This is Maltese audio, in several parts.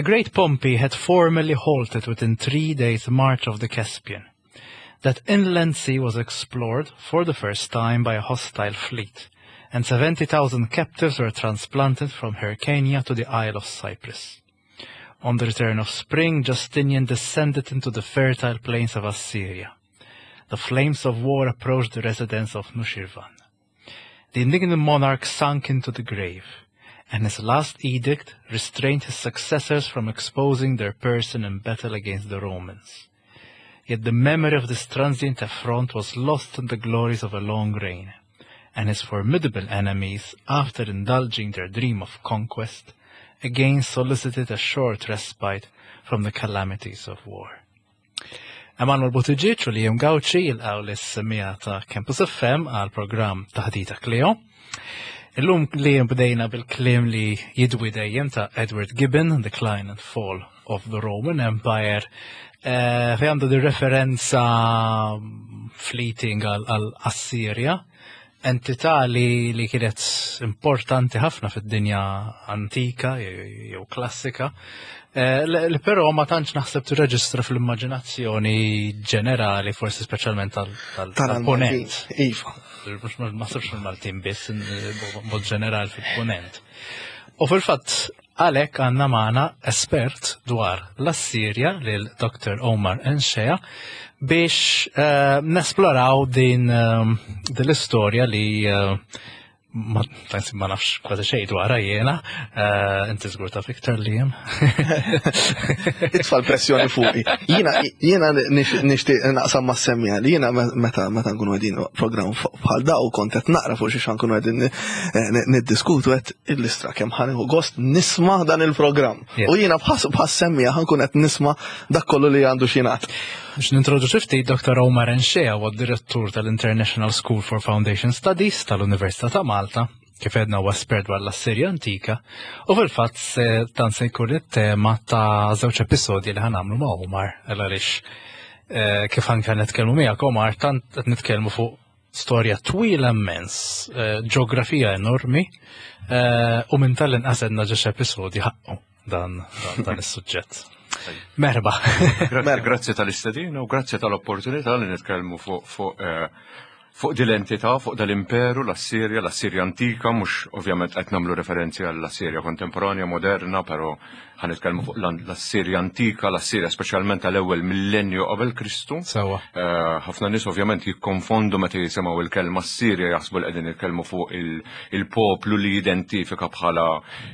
The great Pompey had formally halted within three days' march of the Caspian. That inland sea was explored for the first time by a hostile fleet, and 70,000 captives were transplanted from Hyrcania to the Isle of Cyprus. On the return of spring, Justinian descended into the fertile plains of Assyria. The flames of war approached the residence of Nushirvan. The indignant monarch sunk into the grave, and his last edict restrained his successors from exposing their person in battle against the Romans. Yet the memory of this transient affront was lost in the glories of a long reign, and his formidable enemies, after indulging their dream of conquest, again solicited a short respite from the calamities of war. Emanuel Buttigieg u Liam Gauci jilqgħu lis-semmiegħa ta' Campus FM għal programm Taħdita Cleo. Illum Liam bdejna bil-kliem li jidwi dejjem ta' Edward Gibbon, Decline and Fall of the Roman Empire, eh, fej għandu di referenza fleeting għal Assirja, entità li, li kienet importanti ħafna fid-dinja antika jew klassika, eh, li però ma tantx naħseb tirreġistra fl-immaġinazzjoni ġenerali, forsi speċjalment tal-ponent. Iva. Mhux ma naħsebx fil-Maltin biss, mod ġenerali fil-ponent. U fil-fatt Għalhekk għandna magħna espert dwar l-Assirja lil Dr. Omar Enxea biex uh, nesploraw din, uh, din l-istorja li uh, ma, ma nafx kważi xejn dwarha jiena, uh, inti żgur taf iktar li hemm. Itfa' l-pressjoni fuqi. Jiena jiena nixtieq naqsam ma' semmija li jiena meta meta nkunu qegħdin programm bħal daw kont qed naqra fuq xi nkunu qegħdin eh, niddiskutu qed il-listra kemm ħanieħu gost nisma' dan il-programm. U jiena bħas semmija ħankun qed nisma' dak kollu li għandu xingħad. Biex nintroduċi ftit Dr. Omar Enxea huwa direttur tal-International School for Foundation Studies tal-Università ta' Malta, kif edna huwa espert dwar l-Assirja antika, u fil-fatt se dan se jkun it-tema ta' żewġ episodji li ħanamlu ma' Omar, għaliex eh, kif anke nitkellmu miegħek Omar, tant qed nitkellmu fuq storja twila immens, eh, ġeografija enormi, eh, u minn tal-inqas għedna ġiex episodji ħaqqu dan dan is-suġġett. Merba. Grazzi tal-istedina u grazzi tal-opportunità li nitkellmu fuq fuq eh, fuq din l-entità, fuq dal-imperu, l-Assirja, l-Assirja antika, mhux ovvjament qed nagħmlu referenzi għall-Assirja kontemporanja, moderna, però Ħa nitkellmu fuq l-Assirja antika, l-Assirja speċjalment tal-ewwel millenju qabel Kristu. Sewa. Eh, ħafna nies ovvjament jikkonfondu meta jisimgħu il-kelma Assirja jaħsbu li qegħdin jitkellmu fuq il-poplu li jidentifika bħala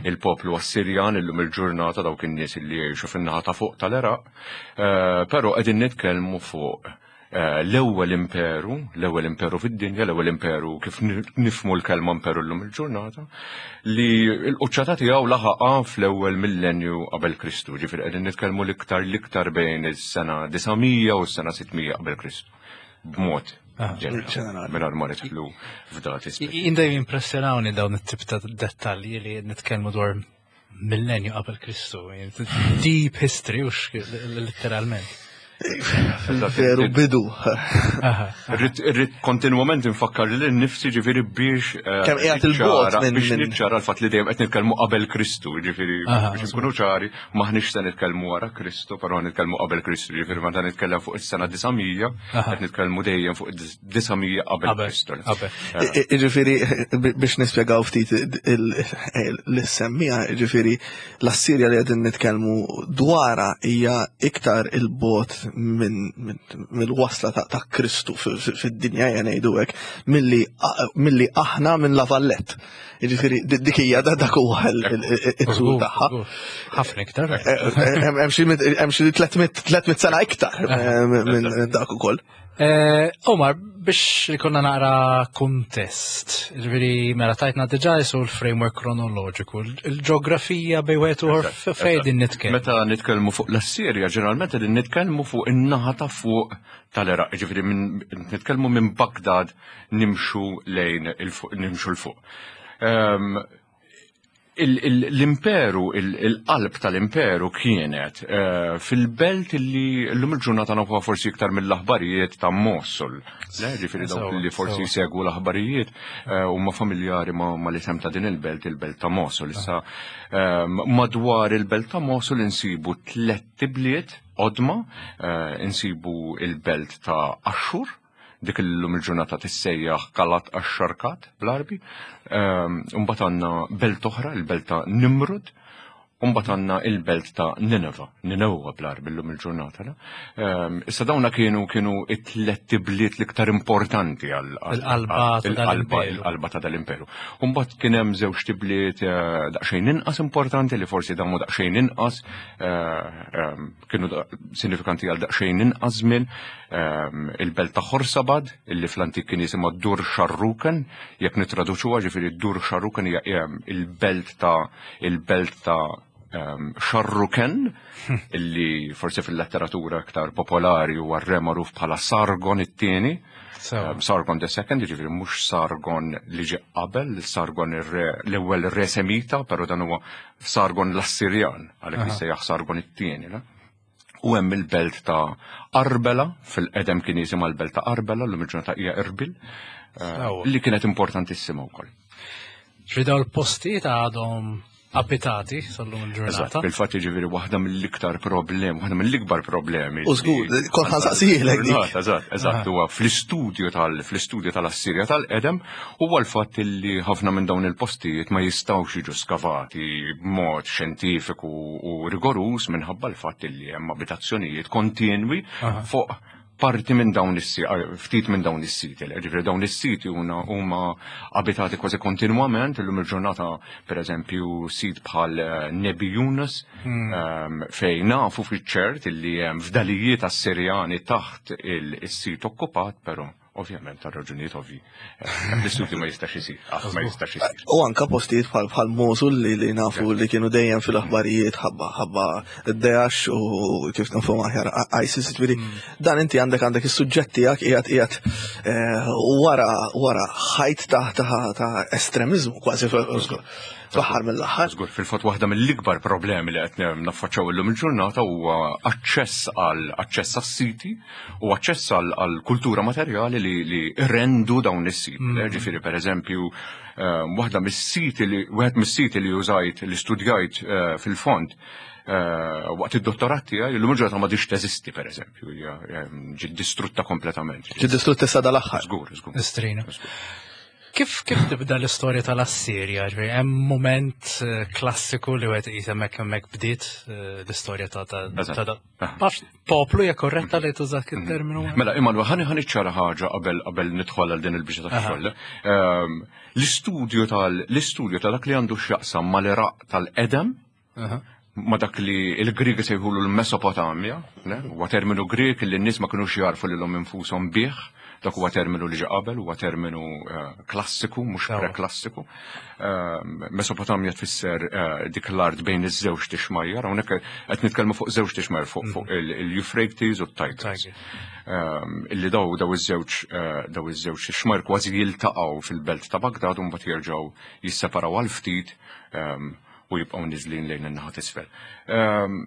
il-poplu Assirjan illum il-ġurnata dawk in-nies li jgħixu fin-naħa ta' fuq tal-Iraq. Eh, però qegħdin nitkellmu fuq Eh, l-ewwel imperu, l-ewwel imperu fid-dinja, l-ewwel imperu kif nifmu l-kelma imperu llum il-ġurnata, li l-quċċata tiegħu laħaqa fl-ewwel millenju qabel Kristu, ġifieri qegħdin nitkellmu l-iktar l-iktar bejn is-sena 900 u s-sena 600 qabel Kristu. B'mod ah, ġenerali, mingħajr ma nidħlu f'dati speċifiċi. Jien impressjonawni dawn it-tip ta' dettalji li nitkellmu dwar millenju qabel Kristu. Deep history, ux literalment. Veru bidu. Irrid kontinwament infakkar li nifsi ġifieri biex. Eh, Kemm qiegħed il-bot biex niċċara l-fatt li dejjem qed nitkellmu qabel Kristu, ġifieri biex nkunu ċari maħniex se nitkellmu wara Kristu, però nitkellmu qabel Kristu, ġifieri meta nitkellem fuq is-sena 900, qed nitkellmu dejjem fuq 900 qabel Kristu. Ġifieri biex nispjegaw ftit l-semmija, ġifieri l-Assirja li qegħdin nitkellmu dwarha hija iktar il-bot mill-wasla ta' Kristu fid-dinja hija ngħidu hekk milli aħna minn La Vallette. Ġifieri dik hija dak huwa it-tul tagħha. Ħafna iktar. Eh, eh, hemm xi 300 sena iktar eh, minn dak ukoll. Eh, Omar, biex ikonna naqra kuntest, ġviri, mela tajtna diġa jisu l-framework kronoloġiku, il-ġeografija bej wieħed u fejn din nitkellmu. Meta nitkellmu fuq l-Assirja, ġeneralment qegħdin nitkellmu fuq in-naħa ta' fuq tal-Iraq, ġifieri nitkellmu minn Baghdad nimxu lejn nimxu l fuq. Ehm, L-imperu, il-qalb tal-imperu kienet eh, fil-belt li l-lum il-ġurnata nafuha forsi iktar mill-aħbarijiet ta' Mosul. Le, ġifieri dawk li forsi jsegwu l-aħbarijiet eh, huma familjari ma' l-isem ta' din il-belt, il-belt ta' Mosul. Issa eh, madwar il-belt ta' Mosul insibu tlett ibliet qodma, insibu il-belt ta' Ashur, dik illum il-ġurnata tissejjaħ Kalat Ax-Xarkat bl-Arbi. Ehm, mbagħad għandna belt oħra, il-belt ta' Nimrud, u mbagħad għandna il-belt ta' Nineva, Ninewwa bl-Arbi llum il-ġurnata. Ehm, issa dawna kienu kienu it-tlet bliet l-iktar importanti għal il-qalba ta' dal-imperu. U mbagħad kien hemm żewġ tibliet eh, daqsxejn inqas importanti li forsi damu daqsxejn inqas eh, ehm, kienu sinifikanti għal daqsxejn inqas żmien ehm, il-belt ta' Khorsabad illi fl-antik kien jisimha Dur Sharruken, jekk nittraduċuha ġifieri Dur Sharruken hija ehm, il-belt ta' il-belt ta' ehm, Sharruken illi forsi fil-letteratura aktar popolari huwa re magħruf bħala Sargon it-tieni. Sargon the second, ġifieri mhux Sargon li ġie qabel, Sargon l-ewwel re Semita, però dan huwa Sargon l-Assirjan, għalhekk jissejjaħ Sargon it-tieni. U hemm il-belt ta' Arbela, fil-qedem kien jisimha l-belt ta' Arbela, l-lum il-ġurnata hija Erbil, eh, li kienet importantissima wkoll. Ġifieri dawn il-postijiet għadhom abitati sal-lum il-ġurnata. Fil-fatt jiġifieri waħda mill-iktar problem, waħda mill-ikbar problemi. U żgur, kont ħansaqsijielek dik. Eżatt, eżatt, huwa fl-istudju tal fl-istudju tal-Assirja tal-qedem huwa l-fatt li ħafna minn dawn il-postijiet ma jistgħux jiġu skavati b'mod xjentifiku u rigoruż minħabba l-fatt li hemm abitazzjonijiet kontinwi fuq parti minn dawn is-siti, ftit minn dawn is-siti. Ġifieri dawn is-siti huma abitati kważi kontinwament, illum il-ġurnata pereżempju sit bħal eh, Nebi Yunus hmm. ehm, fejn nafu fiċ-ċert illi hemm fdalijiet Assirjani taħt il-sit okkupat, però Ovvjament, għal raġunijiet ovvi. Eh, l-istudju ma jistax isir, qatt ma jistax isir. U anka postijiet bħal bħal Mosul li li nafu li kienu dejjem fil-aħbarijiet ħabba ħabba Daesh u kif nafu aħjar ISIS, ġifieri mm. dan inti għandek għandek is-suġġett tiegħek qiegħed qiegħed eh, wara wara ħajt ta' ta' estremiżmu kważi fl-aħħar mill-aħħar. Żgur, fil-fatt waħda mill-ikbar problemi li qed naffaċċaw illum il-ġurnata huwa aċċess għal aċċess għas-siti u aċċess għal kultura materjali li, li rendu dawn is-siti. Mm. Ġifieri pereżempju, eh, waħda mis-siti li wieħed mis-siti li użajt li studjajt eh, fil-fond eh, waqt id-dottorat tiegħi illum il-ġurnata ma diċ teżisti pereżempju, hija ġiet distrutta kompletament. Ġiet distrutta issa dal-aħħar. Żgur, żgur. Istrina. Kif kif tibda l-istorja tal-Assirja? Ġifieri hemm mument eh, klassiku li wieħed iqis hemmhekk hemmhekk bdiet eh, l-istorja ta' ta' Nafx poplu hija korretta li tuża mhm. terminu Mela, Immanuel, ħani ħani ċara ħaġa qabel qabel nidħol għal din il-biċċa ta' xogħol. Ehm, l-istudju tal l-istudju ta' dak li għandu x'jaqsam mal-Iraq tal-qedem, ma dak li il-Griegi sejħulu l-Mesopotamja, huwa terminu Grieg li n-nies ma kinux jarfu lilhom infushom bih, dak huwa terminu li ġie qabel, huwa terminu eh, klassiku, mhux preklassiku. Eh, Mesopotamja tfisser eh, dik l-art bejn iż-żewġ tixmajjar, hawnhekk qed nitkellmu fuq żewġ tixmajjar fuq fuq mm. il-Euphrates u t-Tigris. Illi daw daw iż-żewġ daw iż-żewġ tixmajjar kważi jiltaqgħu fil-belt ta' Bagdad u mbagħad jerġgħu jisseparaw għal ftit u jibqgħu niżlin lejn in-naħa t'isfel. Ehm,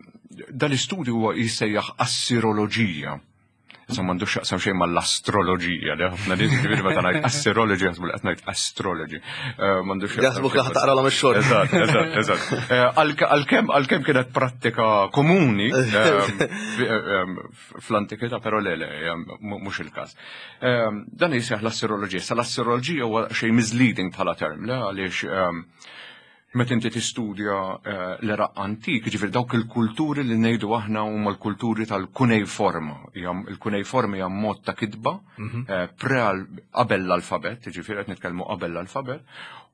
dal-istudju huwa jissejjaħ assiroloġija. Insomma m'għandux x'jaqsam xejn mal-astroloġija, li ħafna nies ġifieri meta ngħid assiroloġija jaħsbu li qed ngħid astrology. Ehm, m'għandux x'jaqsam. Jaħsbu li taqralhom ix-xogħol. Eżatt, eżatt, eżatt. Eh, għalkemm għalkemm kienet prattika komuni ehm, fl-antikità, però le le, mhux il-każ. Dan jisejjaħ l-assiroloġija. Sa l-assiroloġija huwa xejn misleading bħala term, le għaliex Meta inti tistudja eh, l-Iraq antik, ġifieri dawk il-kulturi li ngħidu aħna huma l-kulturi tal-kunejforma. Il-kunejforma hija mod ta' kitba mhm. eh, pre qabel l-alfabet, ġifieri qed nitkellmu qabel l-alfabet,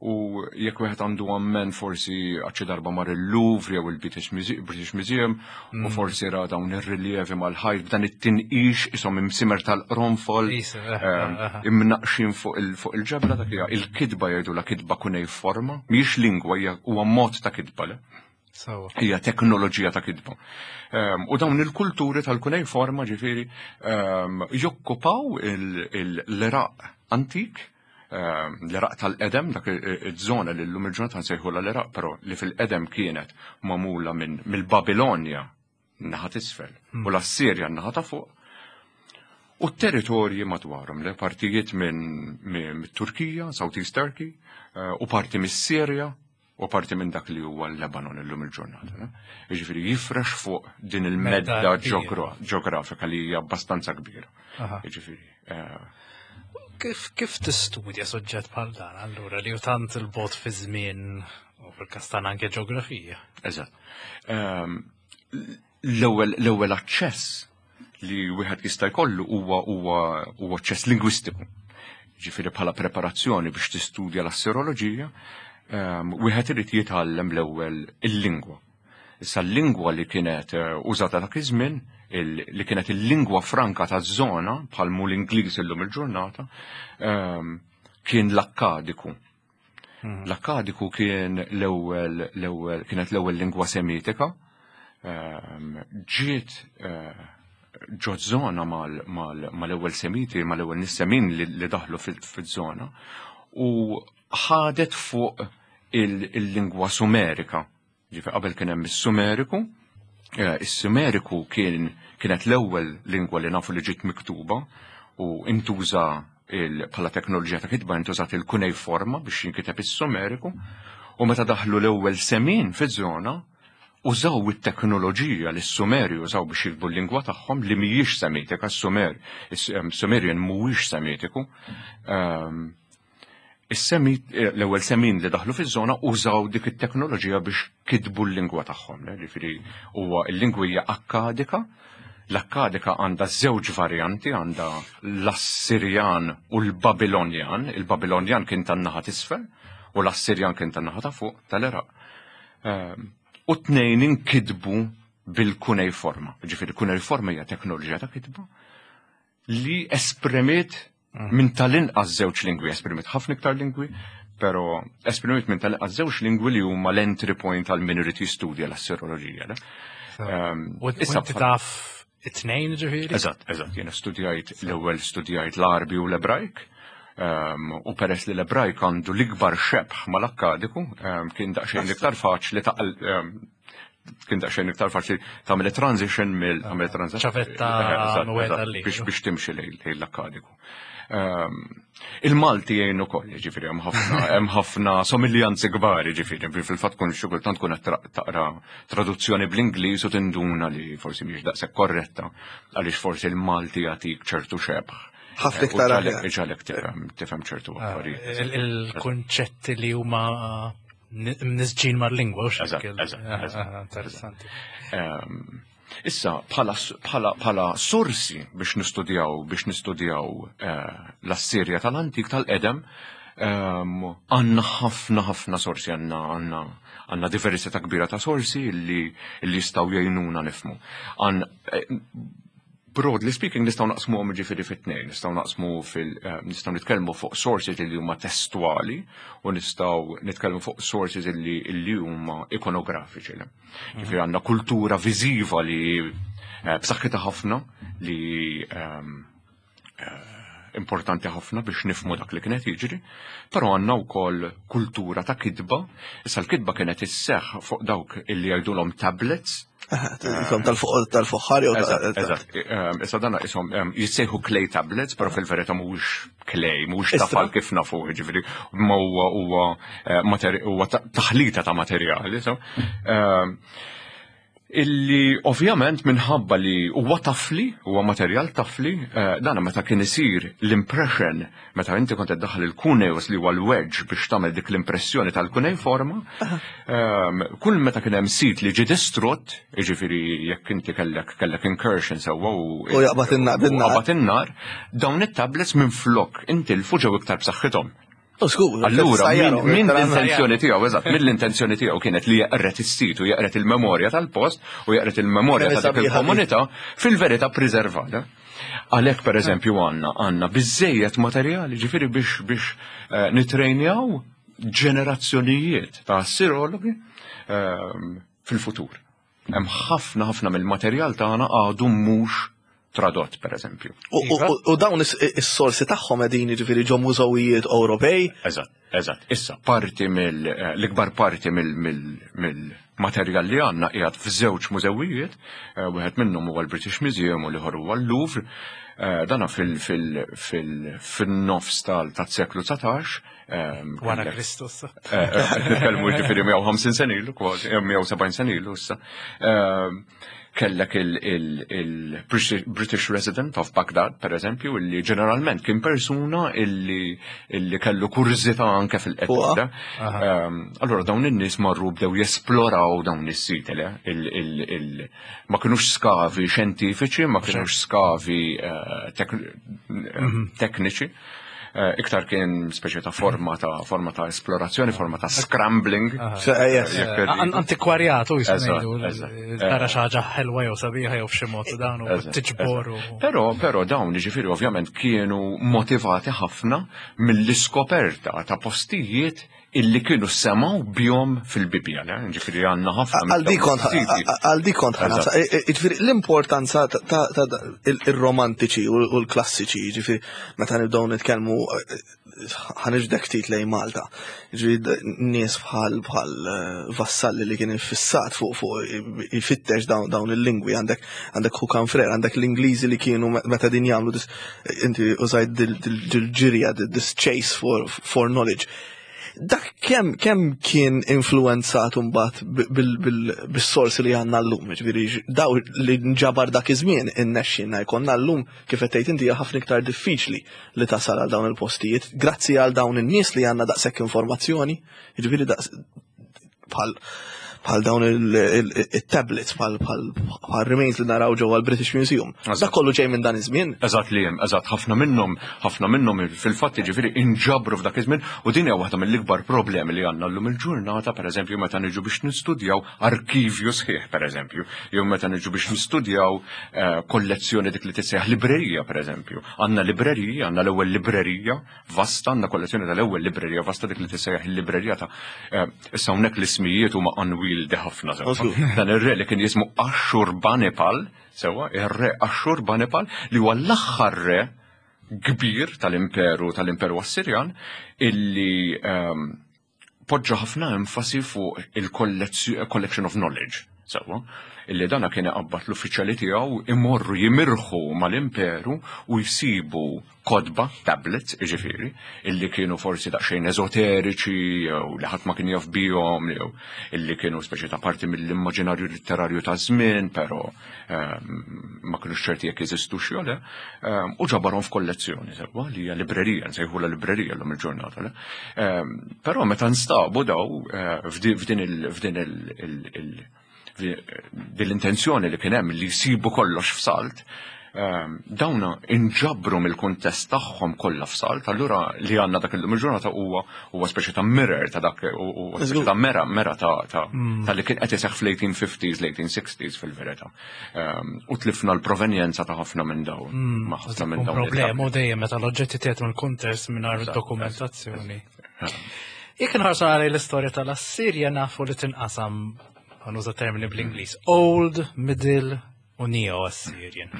u jekk wieħed għandu ammen forsi għaxi darba mar il-Louvre jew il-British Museum u mm. forsi ra dawn ir-riljevi mal-ħajt b'dan it-tinqix ishom imsimer tal-qronfol eh, ehm, eh, eh. imnaqxin fuq il-ġebla dak hija il-kitba jgħidu la kitba kunejforma, mhijiex lingwa hija huwa mod ta' kitba le. Hija teknoloġija ta' kitba. Ehm, u dawn il-kulturi tal-kunejforma ġifieri ehm, jokkupaw l-Iraq antik. l-Iraq tal-qedem, dak iż-żona li llum il-ġurnata nsejħulha l-Iraq, però li fil-qedem kienet magħmula minn mill-Babilonja naħa t'isfel u l-Assirja naħa ta' fuq. U t-territorji madwarhom, le partijiet minn Turkija, South East Turkey, u parti mis-Sirja, u parti minn dak li huwa l-Lebanon illum il-ġurnata. Jiġifieri jifrex fuq din il-medda ġeografika li hija abbastanza kbira. Jiġifieri. Kif tistudja suġġett bħal dan allura li tant il-bot fi żmien u fil-każ tagħna anke ġeografija? Eżatt. L-ewwel aċċess li wieħed jista' jkollu huwa huwa huwa aċċess lingwistiku. Ġifieri bħala preparazzjoni biex tistudja l-assiroloġija, wieħed irid jitgħallem l-ewwel il-lingwa. Issa l-lingwa li kienet użata dak iż-żmien, li kienet il-lingwa franka taż-żona bħal mu l-Ingliż illum il-ġurnata, kien l-Akkadiku. L-Akkadiku kien l-ewwel l-ewwel kienet l-ewwel lingwa semitika. Ġiet ġo żona mal-ewwel semiti, mal-ewwel nies semin li daħlu fiż-żona u ħadet fuq il-lingwa Sumerika. Ġifieri qabel kien hemm is-Sumeriku, is-Sumeriku kien kienet l-ewwel lingwa li nafu li ġiet miktuba u intuża bħala teknoloġija ta' kitba intużat il-kunejforma biex jinkiteb is-Sumeriku u meta daħlu l-ewwel semin fiż-żona użaw it-teknoloġija li s-Sumeri użaw biex jiktbu l-lingwa tagħhom li mhijiex Semitika, s-Sumer, is-Sumerian mhuwiex Semitiku. L-ewwel semin li daħlu fiż-żona użaw dik it-teknoloġija biex kitbu l-lingwa tagħhom. Ġifieri huwa l-lingwa hija Akkadika. L-Akkadika għandha żewġ varjanti, għandha l-Assirjan u l-Babilonjan. Il-Babilonjan kien tan-naħa t'isfel u l-Assirjan kien tan-naħa ta' fuq tal-Iraq. U tnejn inkitbu bil-kunejforma. Ġifieri kunejforma hija teknoloġija ta' kitba li esprimiet minn tal-inqas żewġ lingwi, esprimiet ħafna iktar lingwi, pero esprimiet minn tal-inqas żewġ lingwi li huma l-entry point għal min irid jistudja l-assiroloġija. U issa taf it-tnejn ġifieri? Eżatt, eżatt, jiena studjajt l-ewwel studjajt l-Arbi u l-Ebrajk. U peress li l-Ebrajk għandu l-ikbar xebħ mal-Akkadiku, kien daqsxejn iktar faċli kien daqsxejn iktar faċli tagħmel transition mill tagħmel transition. Ċavetta biex timxi lejn l-Akkadiku. Il-Malti jgħin ukoll, jiġifieri hemm ħafna hemm ħafna somiljanzi kbar, jiġifieri fil-fatt kun xi kultant tkun qed taqra traduzzjoni bl-Ingliż u tinduna li forsi mhix daqshekk korretta għaliex forsi l-Malti jagħtik ċertu xebħ. Ħafna iktar aħjar. Iġalek tifhem ċertu affarijiet. Il-kunċetti li huma mnisġin mal-lingwa u xekk. Interessanti. Issa, bħala sorsi biex nistudjaw biex nistudjaw l-Assirja tal-antik tal-qedem, għandna ħafna ħafna sorsi, għandna għandna għandna diversità kbira ta' sorsi li jistgħu jgħinuna nifhmu. Broadly speaking, nistgħu naqsmuhom ġifieri fit-tnejn, nistgħu naqsmu fil nistgħu nitkellmu fuq sources li huma testwali u nistgħu nitkellmu fuq sources li huma ikonografiċi. Ġifieri għandna kultura viżiva li b'saħħitha ħafna li importanti ħafna biex nifhmu dak li kienet jiġri, però għandna wkoll kultura ta' kitba. Issa l-kitba kienet isseħħ fuq dawk illi jgħidulhom tablets. Isom tal-fuħħar jew Eżatt. Issa dan isom jissejħu clay tablets, però fil-verità mhuwiex clay, mhuwiex tafal kif nafu, jiġifieri ma huwa huwa huwa taħlita ta' materjali. Illi ovvjament minħabba li huwa tafli, huwa materjal tafli, dan meta kien isir l-impression, meta inti kont iddaħħal il-cuneus li huwa l-wedge biex tagħmel dik l-impressjoni tal-cuneiforma, kull meta kien hemm sit li ġie distrutt, jiġifieri jekk inti kellek kellek incursion sewwa u U jaqbad in-nar bin-nar. Jaqbad in-nar, dawn it-tablets minflok intilfu ġew iktar b'saħħithom. Allura, minn l-intenzjoni tiegħu, eżatt, minn l-intenzjoni tiegħu kienet li jeqret is-sit u jeqret il-memorja tal-post u jeqret il-memorja ta' dik il-komunità, fil-verità preservata. Għalhekk pereżempju għandna għandna biżejjed materjali ġifieri biex biex nitrejnjaw ġenerazzjonijiet ta' assirologi fil-futur. Hemm ħafna ħafna mill-materjal tagħna għadu mhux tradott per eżempju. Iva. U dawn is-sorsi tagħhom qegħdin jiġifieri ġo mużewijiet Ewropej? Eżatt, eżatt. Issa parti mill eh, l-ikbar parti mill-materjal li għandna qiegħed f'żewġ mużewijiet, eh, wieħed minnhom huwa l-British Museum u l-ieħor huwa l-Louvre. Eh, dana fil-nofs tal-seklu 19. Wara Kristus. Nitkellmu ġifieri 150 senilu, kważi 170 senilu issa kellek il-British Resident of Baghdad, per eżempju, illi ġeneralment kien persuna illi, illi kellu kurżità anke fil-qedda. Ehm, allora dawn in-nies marru bdew jesploraw dawn is-siti, ma kinux skavi xjentifiċi, ma kinux skavi eh, mhm. tekniċi. Eh, iktar kien speċi ta' forma ta' forma ta' esplorazzjoni, forma ta' scrambling. Eh, eh, antikwarjatu jismu tara xi ħaġa ħelwa jew sabiħa jew f'xi mod dan u tiġbor. Però però dawn jiġifieri ovvjament kienu motivati ħafna mill-iskoperta ta' postijiet illi kienu semaw bjom fil-Bibja, ġifiri għanna ħafna. Għal dik kont ħana, ġifiri l-importanza ta' il-romantiċi u l-klassiċi, ġifiri meta nibdew nitkellmu ħaniġdek ftit lejn Malta. Ġifiri nies bħal bħal eh, vassalli li kien infissat fuq fuq ifittex dawn il-lingwi għandek għandek Hukan Frer, għandek l-Ingliżi li kienu meta din jagħmlu inti użajt dil-ġirja, this chase for, for knowledge. Dak kemm kem kien influenzat mbagħad bis-sorsi li għandna llum, ġifieri daw li nġabar dak iż-żmien innexxinna jkollna llum kif qed tgħid inti hija ħafna iktar diffiċli li tasal għal dawn il-postijiet grazzi għal dawn in-nies li għandna daqshekk informazzjoni, jiġifieri daqs bħal bħal dawn il-tablets, bħal remains li naraw ġewwa l-British Museum. Dak kollu ġej minn dan iż-żmien. Eżatt li hemm, eżatt ħafna minnhom, ħafna minnhom fil-fatt jiġifieri inġabru f'dak iż-żmien u din hija waħda mill-ikbar problemi li għandna llum il-ġurnata, pereżempju meta niġu biex nistudjaw arkivju sħiħ pereżempju, jew meta niġu biex nistudjaw eh, kollezzjoni dik li tissejjaħ librerija pereżempju. Għandna librerija, għandna l-ewwel librerija vasta, għandna kollezzjoni tal-ewwel librerija vasta dik li tissejjaħ il-librerija ta' eh, issa hawnhekk l-ismijiet huma unwieldi ħafna sewwa. Dan ir-re li kien jismu Ashurbanipal, sewwa, ir-re Ashurbanipal li huwa l-aħħar re kbir tal-imperu tal-imperu Assirjan illi ehm, poġġa ħafna enfasi fuq il-collection of knowledge, sewwa, illi dana kien iqabbad l-uffiċjali tiegħu imorru jimirħu mal-imperu u jsibu kotba, tablets, jiġifieri, illi kienu forsi daqsxejn eżoteriċi jew li ħadd ma kien jaf bihom jew illi kienu speċi ta' parti mill-immaġinarju litterarju ta' żmien, però ehm, ma kienux ċerti jekk jeżistux jew le, ehm, u ġabarhom f'kollezzjoni sewwa li hija librerija, nsejħulha librerija llum il-ġurnata. Le? Ehm, però meta nstabu daw eh, f'din il l-intenzjoni li kien hemm li jsibu kollox f'salt, ehm, dawna inġabru mill-kuntest tagħhom kollha f'salt, allura li għandna dak illum il-ġurnata huwa huwa speċi ta' mirror ta' dak huwa speċi ta' mera mera ta' mm. ta' li kien qed iseħħ fl-1850s, l-1860s fil-verità. Ehm, u tlifna l-provenjenza ta' ħafna minn dawn. Mm, ma' ħafna minn dawn. Problema dejjem meta l-oġġetti tiegħek mill-kuntest mingħajr dokumentazzjoni. Jekk nħarsu għalej l-istorja tal-Assirja nafu li tinqasam għanuża termini bl-Ingliż, Old, Middle u Neo Assyrian.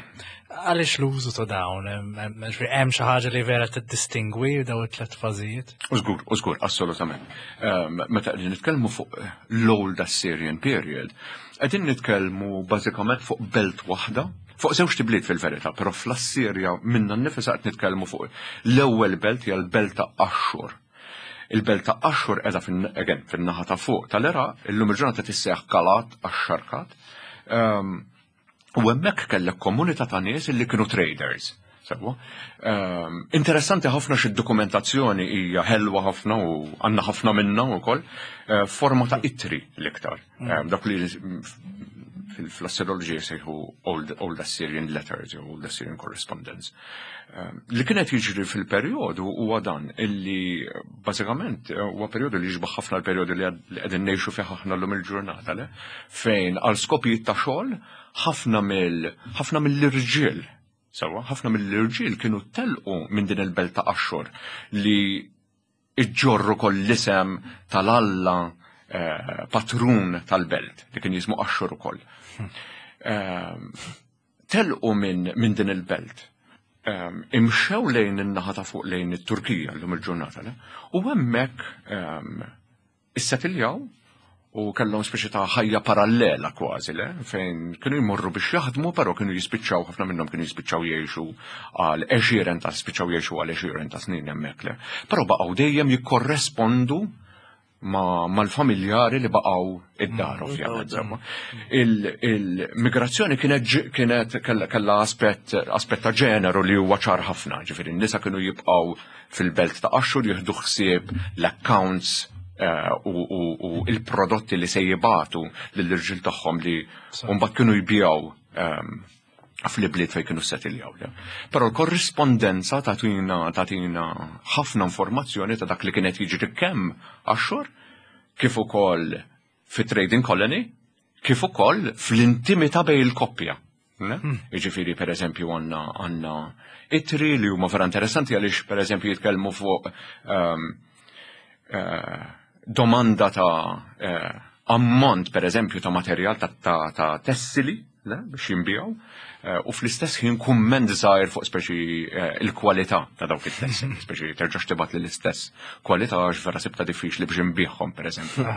Għaliex l-użu ta' dawn, hemm xi ħaġa li vera tiddistingwi daw it-tlet fażijiet? Użgur, użgur, assolutament. Ehm, meta qegħdin nitkellmu fuq l-Old Assyrian period, qegħdin nitkellmu bażikament fuq belt waħda, fuq żewġ tibliet fil-verità, però fl-Assirja minna nnifisha qed nitkellmu fuq l-ewwel belt hija l-belt ta' Ashur. Il-belt ta' Ashur qiegħda again fin-naħa ta' fuq tal-Iraq, illum il-ġurnata tissejjaħ Kalat Ax-Xarkat. Ehm, u hemmhekk kellek komunità ta' nies li kienu traders. Sewwa. Ehm, interessanti ħafna xi dokumentazzjoni hija ħelwa ħafna u għandna ħafna minnha wkoll eh, forma ta' ittri l-iktar. Ehm, dak li fil-Assyriology jsejħu Old, Old Assyrian Letters jew Old Assyrian Correspondence. Ehm, li kienet jiġri fil-perjodu huwa dan illi bażikament eh, huwa perjodu li jiġbaħ ħafna l-perjodu li qegħdin ngħixu fih aħna llum il-ġurnata le fejn għal skopijiet ta' xogħol ħafna mill ħafna mill-irġiel Sewa, ħafna mill-irġiel kienu telqu minn din il-belt ta' Axxur li iġġorr ukoll l-isem tal-alla eh, patrun tal-belt li kien jismu Axxur ukoll. Ehm, Telqu minn min din il-belt. Ehm, imxew lejn in-naħa ta' fuq lejn it-Turkija llum il-ġurnata, u hemmhekk ehm, issetiljaw u kellhom speċi ta' ħajja parallela kważi le, fejn kienu jmorru biex jaħdmu, però kienu jispiċċaw ħafna minnhom kienu jispiċċaw jgħixu għal għexieren ta' spiċċaw jgħixu għal għexieren ta' snin hemmhekk le. Però baqgħu dejjem jikkorrespondu mal-familjari li baqgħu id-dar mm, ovvjament. Insomma. Il-migrazzjoni kienet kienet kellha aspett aspett ta' ġeneru li huwa ċar ħafna, ġifieri n-nisa kienu jibqgħu fil-belt ta' Axxur jieħdu ħsieb l-accounts eh, u il-prodotti li se jibatu lill-irġiel tagħhom li mbagħad kienu jbijaw ehm, fl-ibliet fejn kienu settiljaw. Però l-korrispondenza tagħtina tagħtina ħafna informazzjoni ta' dak li kienet jiġri kemm Axxur kif ukoll fi trading colony, kif ukoll fl-intimità bejn il-koppja. Hmm. Jiġifieri pereżempju għandna għandna itri li huma vera interessanti għaliex pereżempju jitkellmu fuq um, uh, domanda ta' uh, ammont pereżempju ta' materjal ta', ta, ta tessili le, biex jinbijaw, eh, u fl-istess ħin kumment żgħir fuq speċi eh, il-kwalità ta' dawk it-tessili, speċi terġax tibgħat li l-istess kwalità għax vera sibta diffiċli biex inbiħhom pereżempju.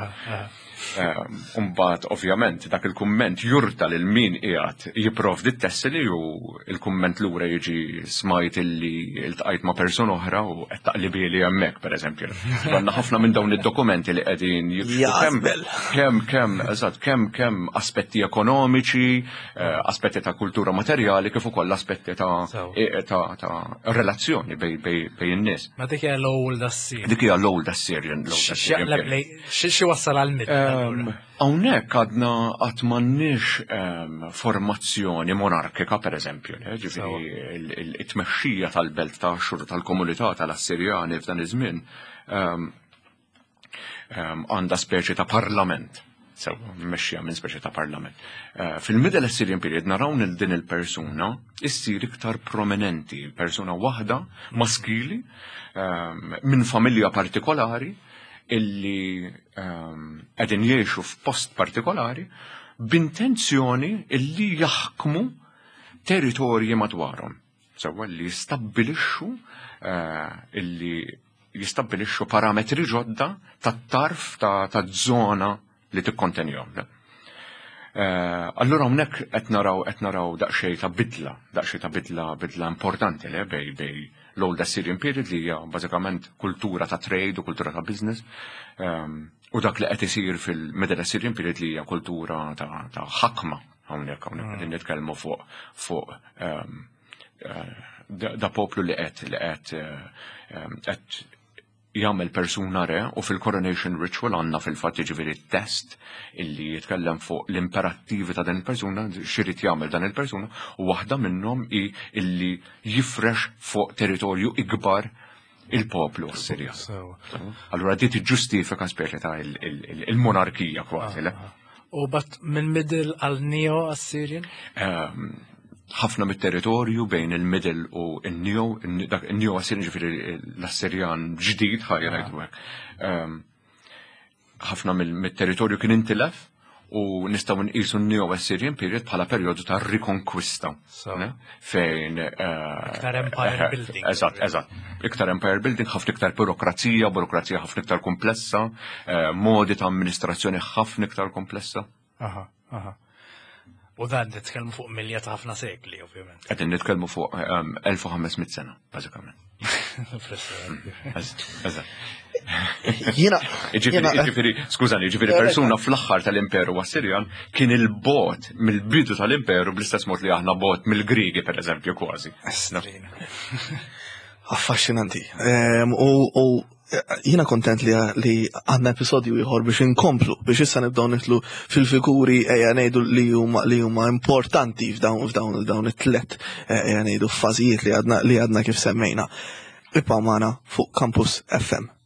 Umbagħad ovvjament dak il-kumment jurta lil min qiegħed jipprovdi t-tessili u il-kumment lura jiġi smajt illi iltqajt ma' persuna oħra u qed taqlibieli hemmhekk pereżempju. Għandna ħafna minn dawn id-dokumenti li qegħdin jikxfu kemm kemm eżatt kemm kemm aspetti ekonomiċi, eh, aspetti ta' kultura materjali kif ukoll aspetti ta' eh, ta' ta' relazzjoni bej in-nies. Ma dik hija l-old Assyrian. Dik hija l-old Assyrian. Xi wassal għal mid? Ehm, hawnhekk għadna qatt m'għandniex ehm, formazzjoni monarkika pereżempju, ġifieri it-tmexxija tal-belt ta' xhur tal-komunità tal-Assirjani f'dan iż-żmien ehm, għandha speċi ta' parlament sew mmexxija minn speċi ta' parlament. Eh, fil-Middle Assyrian period naraw lil din il-persuna issir iktar prominenti, persuna waħda maskili minn familja partikolari illi ehm, qegħdin jgħixu f'post partikolari b'intenzjoni illi jaħkmu territorji madwarhom. Sewwa li jistabbilixxu eh, illi jistabbilixxu parametri ġodda tat-tarf ta' żona li tikkontenihom. Eh, allura hawnhekk qed naraw qed naraw daqsxejn ta' bidla, daqsxejn ta' bidla bidla importanti le bej bej l-Old Assyrian period li hija bażikament kultura ta' trade u kultura ta' business ehm, u dak li qed isir fil-Middle Assyrian period li hija kultura ta' ħakma hawnhekk hawnhekk qegħdin nitkellmu fuq fuq ehm, eh, da poplu li qed li qed ehm, qed jagħmel persuna re u fil-coronation ritual għandna fil-fatt jiġifieri test illi jitkellem fuq l-imperattivi ta' dan il-persuna, x'irid jagħmel dan il-persuna u waħda minnhom hi illi jifrex fuq territorju ikbar il-poplu Assirjan. Allura di tiġġustifika speċi ta' il-monarkija kważi, le? Ah, ah. U bat minn middle għal neo Assyrian? Ehm, ħafna mit-territorju bejn il-middle u il-neo, il-neo Assyrian ġifieri l-Assirjan ġdid ħajja ngħidu hekk. Ehm, ħafna mit-territorju kien intilef u nistgħu nqisu n-Neo Assyrian period bħala perjodu ta' rikonkwista. Fejn. Eh, iktar empire eh, building. Eżatt, eżatt. Iktar empire building, ħafna iktar burokrazija, burokrazija ħafna iktar komplessa, eh, modi ta' amministrazzjoni ħafna iktar komplessa. Aha, aha. U dan nitkellmu fuq milja ta' ħafna sekli, ovvjament. Qegħdin nitkellmu fuq 1500 ehm, sena, bażikament. Eżatt. Jiena. Ġifieri, skużani, ġifieri persuna fl-aħħar tal-Imperu Assirjan kien il-bot mill-bidu tal-Imperu bl-istess mod li aħna bot mill-Grigi, pereżempju, kważi. Affaxxinanti. Ehm, u Jiena kontent li li għandna episodju ieħor biex inkomplu, biex issa nibdew nitlu fil-figuri ejja ngħidu li huma li huma importanti f'dawn f'dawn dawn it-tlet eh, ejja ngħidu fażijiet li għadna li għadna kif semmejna. Ibqgħu magħna fuq Campus FM.